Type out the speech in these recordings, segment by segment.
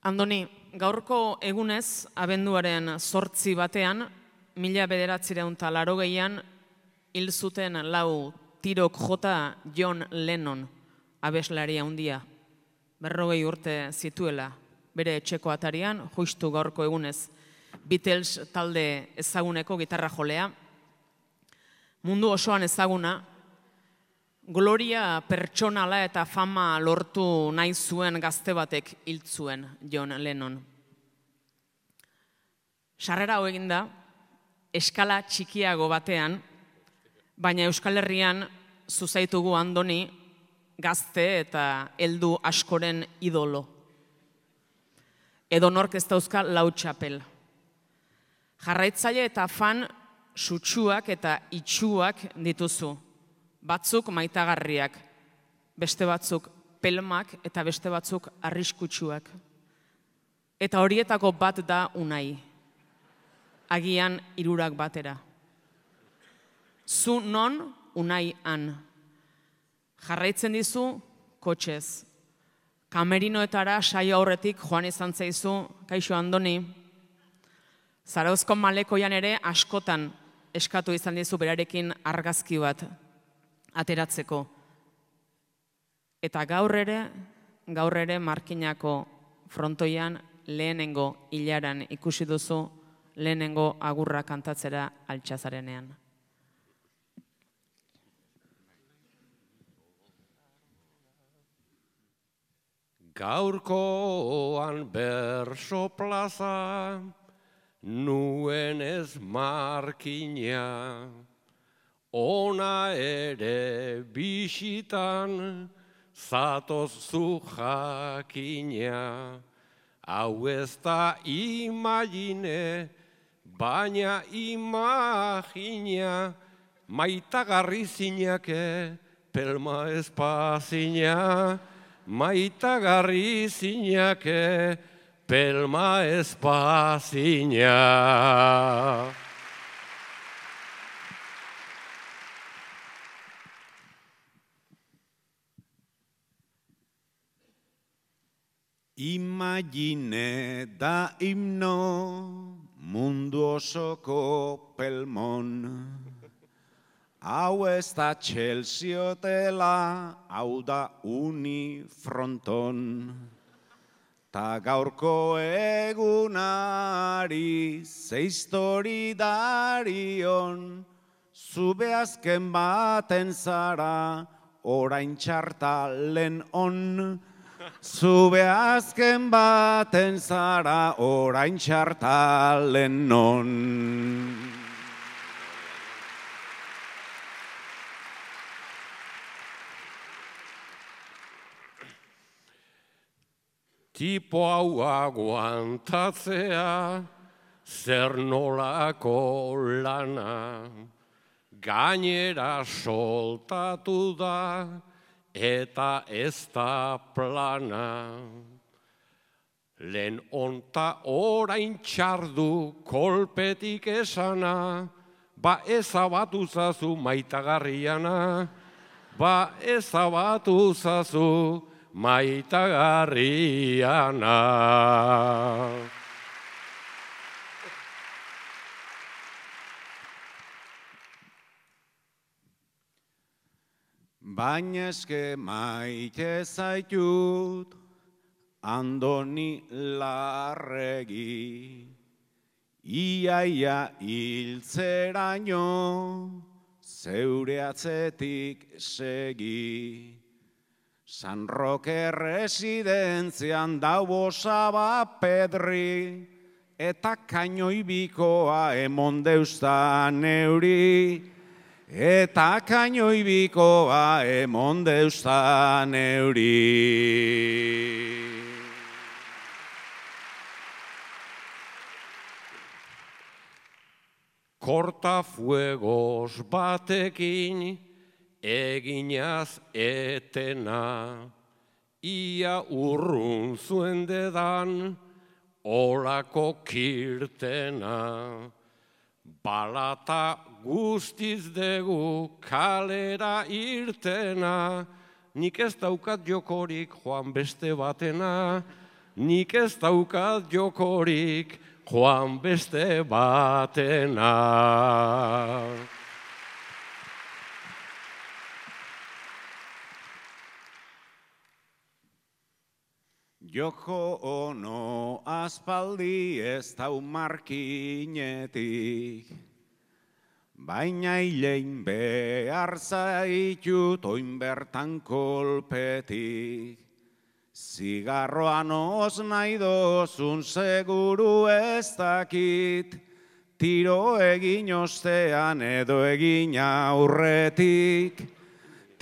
Andoni, gaurko egunez, abenduaren 8 batean, 1980an hil zuten 4 tirok jota John Lennon, abeslaria handia. 40 urte zituela, bere etxeko atarian, justu gaurko egunez, Beatles talde ezaguneko gitarra jolea. Mundu osoan ezaguna, gloria pertsonala eta fama lortu nahi zuen gazte batek hil zuen John Lennon. Sarrera hau eginda, eskala txikiago batean, baina Euskal Herrian zuzaitugu Andoni gazte eta heldu askoren idolo. Edonork ez dauzka 4 txapel. Jarraitzaile eta fan sutsuak eta itsuak dituzu. Batzuk maitagarriak, beste batzuk pelmak eta beste batzuk arriskutsuak. Eta horietako bat da Unai. Agian 3 batera. Zu non, Unai han. Jarraitzen dizu, kotxez. Kamerinoetara saio aurretik joan izan zaizu, kaixo Andoni. Zarauzko malekoian ere askotan eskatu izan dizu berarekin argazki bat ateratzeko. Eta gaur ere Markinako frontoian lehenengo hilaran ikusi duzu lehenengo agurra kantatzera altxazarenean. Gaurkoan berso plaza, nuen ez Markina, ona ere bisitan, zatoz zu jakina. Hau ez da imagine, baina imagina, maitagarri zinake, pelma espazina, maitagarri zinake, pelma espazina. Imagine da himno mundu osoko pelmon. Hau ez da Chelsea hotela, hau da Unifronton. Ta gaurko egunari ze histori darion, zube azken baten zara orain txartalen on. Zube azken baten zara orain txartalen on. Tipo hau aguantatzea, zer nolako lana, gainera soltatu da, eta ez da plana. Lehen onta orain txardu kolpetik esana, ba ezabatu zazu maitagarriana, ba ezabatu zazu maitagarriana. Baina eske maite zaitut, Andoni Larregi, iaia hiltzeraino, zeure atzetik segi. San Roque residentzian dau osaba pedri, eta kainoibikoa emon deustan euri. Eta kainoibikoa emon deustan euri. Kortafuegos batekin eginaz etena, ia urrun zuen dedan olako kirtena. Balata guztiz dugu kalera irtena, nik ez daukat jokorik joan beste batena, nik ez daukat jokorik joan beste batena. Joko ono aspaldi ez dau markinetik, baina hilein behar zaitut oin bertan kolpetik. Zigarroan oz nahi dozun seguru ez dakit, tiro egin ostean edo egin aurretik.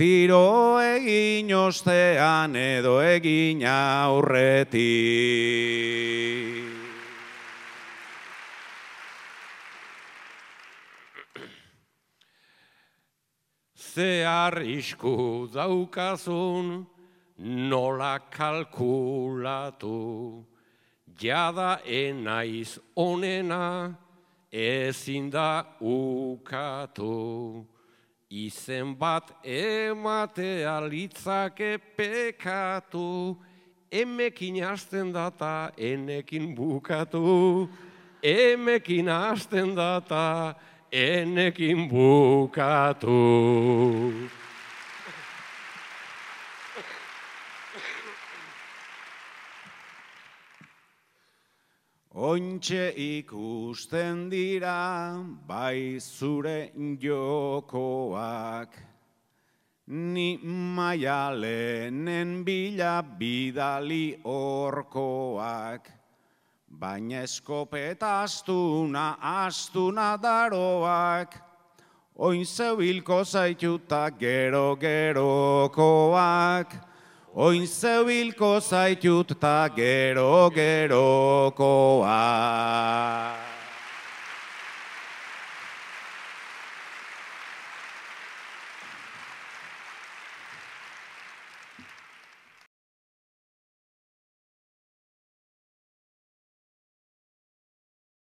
Tiro egin ostean edo egin aurretik. Ze arrisku daukazun nola kalkulatu, jada enaiz onena ezin da ukatu. Izen bat ematea litzake pekatu, emekin hasten data enekin bukatu. Emekin hasten data enekin bukatu. Ointxe ikusten dira bai zure jokoak, ni Maialenen bila bidali orkoak, baina eskopeta astuna daroak, oin zebilko zaituta gero-gerokoak. Oin zebilko zaitut ta gero-gerokoa.